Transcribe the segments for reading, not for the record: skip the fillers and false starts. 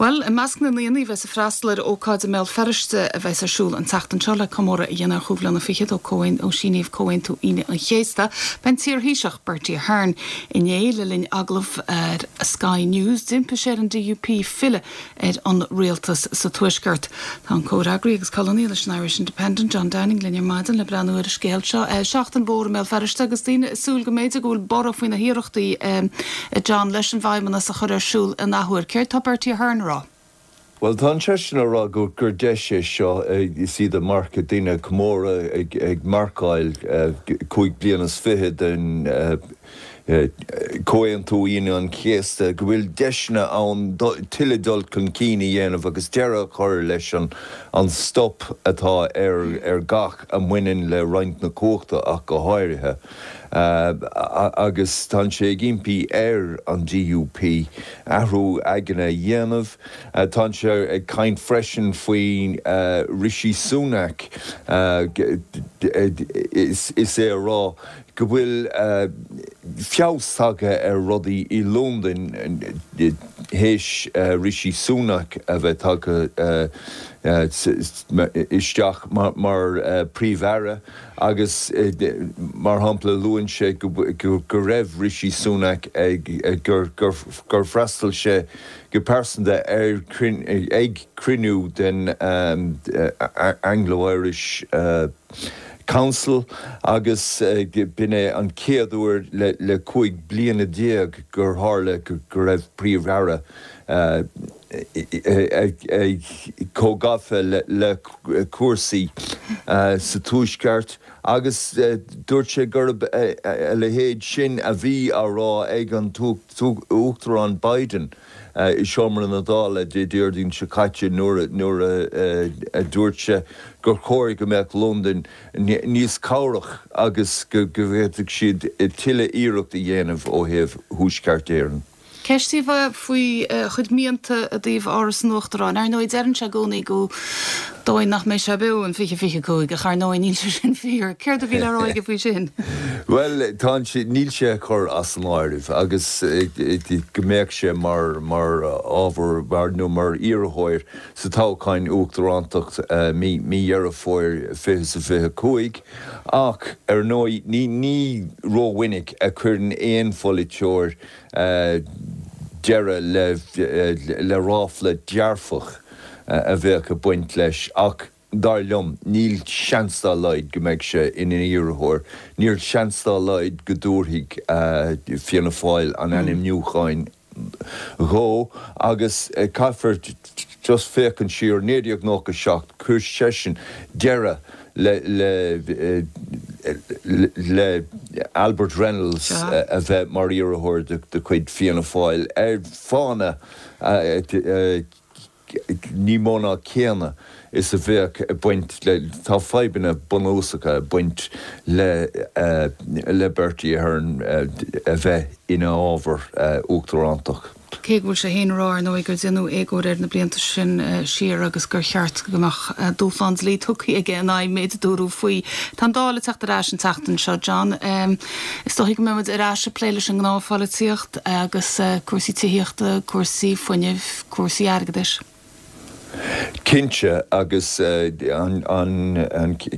Bhuel, i measc na ndaoine a bheas ag freastal ar ócáid i mBéal Feirste a bheas ar siúl an tseachtain seo le comóradh a dhéanamh ar chúig bhliana fichead ó síníodh Comhaontú Aoine an Chéasta, beidh an t-iarThaoiseach, Bertie Ahern. Inné, le linn agallamh ar Sky News, d'impigh sé ar an DUP filleadh ar an rialtas sa Tuaisceart. Tá an comhfhreagraí agus colúnaí leis an Irish Independent, John Downing, linn ar maidin le breathnú ar an scéal seo. Seachtain mhór i mBéal Feirste agus daoine ag súil go mb'fhéidir go bhfuil borradh faoi na hiarrachtaí, a John, leis an bhFeidhmeannas a chur ar siúl in athuair. Céard tá Bertie Ahern a rá? Bhuel, tá seisean ag rá gur deis é seo, is iad ag marcadh, daoine ag comóradh, ag marcáil 25 bliana den Comhaontú Aoine an Chéasta, go bhfuil deiseanna ann tuilleadh dul chun cinn a dhéanamh agus deireadh a chur leis an stop atá ar gach a mbaineann le roinnt na cumhachta ach go háirithe. Agus tá sé ag impí ar an DUP athrú aigne a dhéanamh. Tá sé ag caint freisin faoi Rishi Sunak is é a rá go bhfuil feabhas tagtha ar rudaí i Londain théis Rishi Sunak a bheith tagtha isteach mar Phríomh-Aire agus mar shampla luann sé go raibh Rishi Sunak ag gur fhreastail sé go pearsanta ar ag cruinniú den Anglo-Irish Council agus b'in é an chéad uair le 15 bliana gur tharla go raibh Príomh-Aire chomh gafa le cúrsaí sa Tuaisceart agus dúirt sé gurb a leithéid sin a bhí á rá ag an tUachtarán Biden. i seomra na Dála Dé Déardaoin seo caite nuair a dúirt sé gur chóir go mbeadh Londain níos cabhrach agus go bhféadfadh siad tuilleadh iarracht a dhéanamh ó thaobh Thuaisceart Éireann. Ceist faoi a chuid mianta i dtaobh Áras an Uachtaráin. Ar ndóigh, deireann sé i gcónaí go dóigh nach mbeidh sé beo in 2025, ach ar ndóigh níl sé sin fíor. Céard a bhí le rá aige faoi sin? Bhuel, tá sé, níl sé á chur as an áireamh agus go mbeadh sé mar, mar ábhar, mar, nó mar iarrthóir sa toghchán uachtarántacht mí, mí Dheireadh Fómhair 2025 ach ar ndóigh ní, ní rómhinic a chuireann aon pholaiteoir deireadh le, le ráfla dearfach a bheadh ag baint leis ach dar liom, níl seans dá laghad go mbeidh sé ina iarrthóir. Níl seans dá laghad go dtabharfaidh Fianna Fáil an ainmniúcháin dhó agus caithfear just féachaint siar, 1997, chuir seisean deireadh le le le Albert Reynolds a bheith mar iarrthóir de chuid Fianna Fáil ar fáthanna ní mó ná céanna is a bheadh ag baint le, tá fadhbanna bunúsacha ag baint le le Bertie Ahern a bheith ina ábhar uachtarántach. Cé go bhfuil sé féin ag rá, ar ndóigh, gur déanadh éagóir air na blianta sin siar agus gur cheart go mbeadh dúshlán dlí tugtha aige in aghaidh an méid a dúradh faoi. Tá an Dáil ag teacht ar ais an tseachtain seo, John. Is dóichí go mbeidh muid ar ais ag plé leis an ngnáthpholaitíocht agus cúrsaí tithíochta, cúrsaí fuinnimh, cúrsaí airgeadais. Cinnte, agus an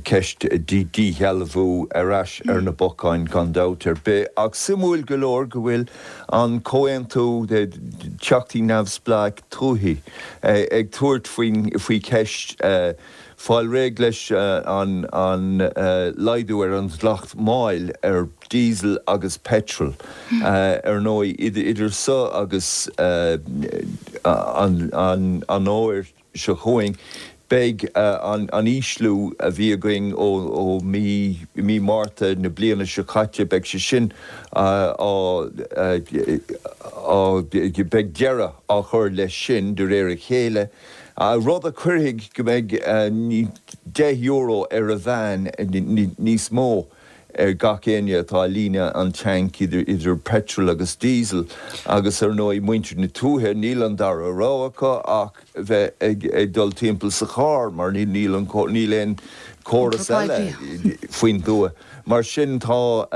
cheist díshealbhú ar ais ar na bacáin gan dabht ar bith. Ach suimiúil go leor go bhfuil an comhaontú Teachtaí Neamhspleách Tuaithe ag tabhairt faoi cheist fáil réidh leis an laghdú ar an dleacht máil ar diesel agus petrol. Ar ndóigh, idir so agus an fhómhar seo chugainn, beidh an ísliú a bhí againn ó mí Márta na bliana seo caite, beidh sé sin á, beidh deireadh á chur leis sin de réir a chéile. Rud a chuirfidh go mbeidh €10 ar a mheán níos mó ar gach éinne atá ag líonadh an tanc idir petrol agus diesel agus ar ndóigh muintir na tuaithe níl an dara rogha acu ach bheith ag dul timpeall sa charr mar níl níl aon chóras eile faoin dtuath. Mar sin tá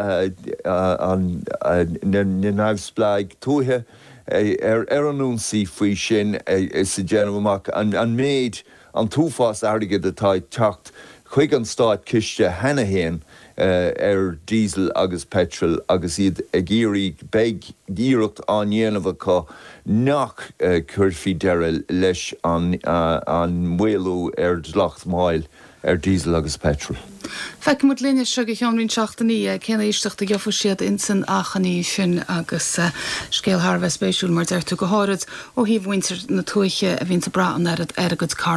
na neamhspleáigh tuaithe. ar an ionsaí faoi sin is ag déanamh amach an méid, an t-uafás airgid atá ag teacht chuig an státchiste cheana féin ar diesel agus petrol agus iad ag iarraidh, beidh iarracht á ndéanamh acu nach gcuirfí deireadh leis an maolú ar dhleacht máil ar diesel agus petrol. Feicfidh muid linn as seo go ceann roinnt seachtainí cén éisteacht a gheobhaidh siad insan achainí sin agus scéal thar a bheith spéisiúil mar deir tú, go háirid ó thaobh mhuintir na tuaithe a bhíonns ag brath an oiread ar a gcuid carranna.